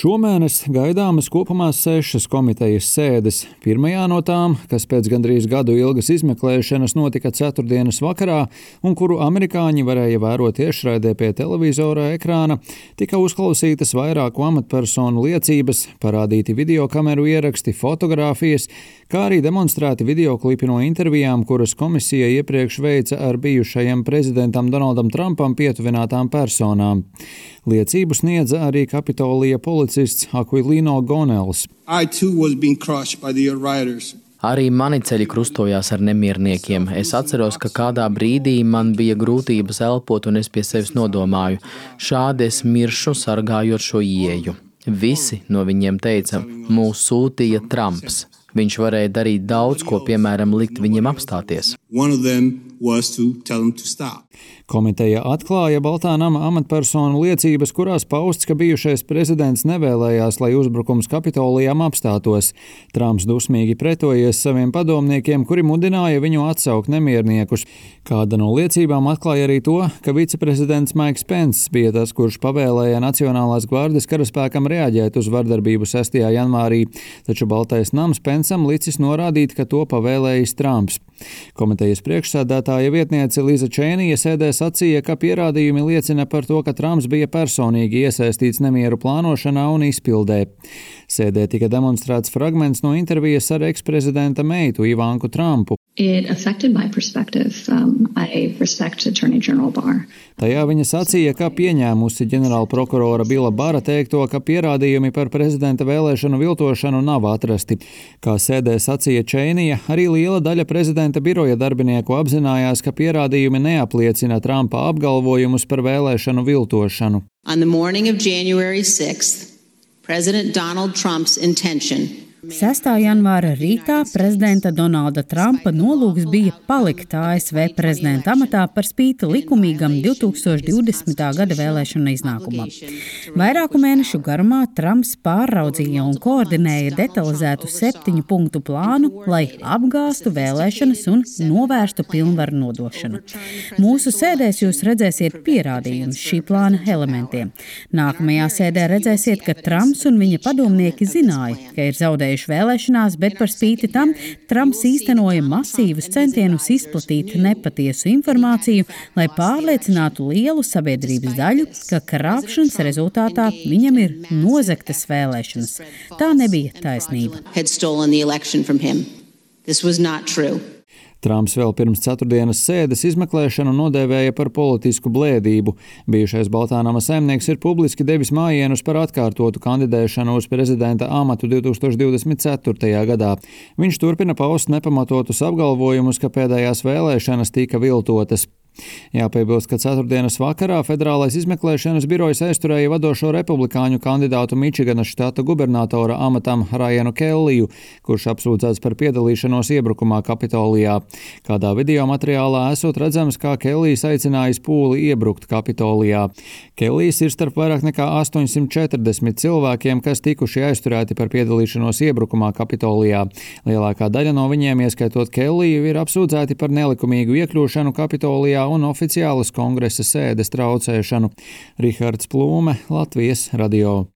Šomēnes gaidāmas kopumā 6 komitejas sēdes. Pirmajā no tām, kas pēc gandrīz gadu ilgas izmeklēšanas notika ceturtdienas vakarā un kuru amerikāņi varēja vērot tiešraidē pie televizora ekrāna, tika uzklausītas vairāku amatpersonu liecības, parādīti videokameru ieraksti, fotogrāfijas, kā arī demonstrēti videoklipi no intervijām, kuras komisija iepriekš veica ar bijušajam prezidentam Donaldam Trumpam pietuvinātām personām. Liecību sniedza arī Kapitolija policists Aquilino Gonels. Arī mani ceļi krustojās ar nemierniekiem. Es atceros, ka kādā brīdī man bija grūtības elpot un es pie sevis nodomāju, šādi es miršu sargājot šo ieeju. Visi no viņiem teica, mūs sūtīja Trumps. Viņš varēja darīt daudz, ko, piemēram, likt viņiem apstāties. Komiteja atklāja Baltā nama amatpersonu liecības, kurās pausts, ka bijušais prezidents nevēlējās, lai uzbrukums Kapitolijām apstātos. Trumps dusmīgi pretojies saviem padomniekiem, kuri mudināja viņu atsaukt nemierniekus. Kāda no liecībām atklāja arī to, ka viceprezidents Maiks Pence bija tas, kurš pavēlēja Nacionālās gvardes karaspēkam reaģēt uz vardarbību 6. janvārī, taču Baltais nams Pencam licis norādīt, ka to pavēlējis Trumps. Komitejas priekšsēdētāja vietniece Liza Čēnija sēdē sacīja, ka pierādījumi liecina par to, ka Trumps bija personīgi iesaistīts nemieru plānošanā un izpildē. Sēdē tika demonstrēts fragments no intervijas ar eksprezidenta meitu Ivanku Trumpu. Tajā viņa sacīja, ka pieņēmusi ģenerālprokurora Bila Bara teikto, ka pierādījumi par prezidenta vēlēšanu viltošanu nav atrasti. Kā sēdē sacīja Čēnija, arī liela daļa prezidenta biroja darbinieku apzinājās, ka pierādījumi neapliecina Trumpa apgalvojumus par vēlēšanu viltošanu. On the morning of January 6th, President Donald Trump's intention 6. janvāra rītā prezidenta Donalda Trumpa nolūks bija palikt ASV prezidenta amatā par spīti likumīgam 2020. gada vēlēšanu iznākumam. Vairāku mēnešu garumā Trumps pārraudzīja un koordinēja detalizētu 7 punktu plānu, lai apgāstu vēlēšanas un novērstu pilnvaru nodošanu. Mūsu sēdēs jūs redzēsiet pierādījumus šī plāna elementiem. Nākamajā sēdē redzēsiet, ka Trumps un viņa padomnieki zināja, ka ir zaudējuši vēlēšanās, bet par spīti tam Trumps īstenoja masīvus centienus izplatīt nepatiesu informāciju, lai pārliecinātu lielu sabiedrības daļu, ka krāpšanas rezultātā viņam ir nozagtas vēlēšanas. Tā nebija taisnība. Trumps vēl pirms ceturtdienas sēdes izmeklēšanu nodēvēja par politisku blēdību. Bijušais Baltā nama saimnieks ir publiski devis mājienus par atkārtotu kandidēšanu uz prezidenta amatu 2024. gadā. Viņš turpina paust nepamatotus apgalvojumus, ka pēdējās vēlēšanas tika viltotas. Jāpiebilst, ka ceturtdienas vakarā Federālais izmeklēšanas birojs aizturēja vadošo republikāņu kandidātu Mičiganas štata gubernatora amatam Rajanu Kelliju, kurš apsūdzēts par piedalīšanos iebrukumā Kapitolijā. Kādā video materiālā esot redzams, kā Kellijs aicinājis pūli iebrukt Kapitolijā. Kellijs ir starp vairāk nekā 840 cilvēkiem, kas tikuši aizturēti par piedalīšanos iebrukumā Kapitolijā. Lielākā daļa no viņiem, ieskaitot Kelliju, ir apsūdzēti par nelikumīgu iekļūšanu Kapitolijā un oficiālas kongresa sēdes traucēšanu. Rihards Plūme, Latvijas radio.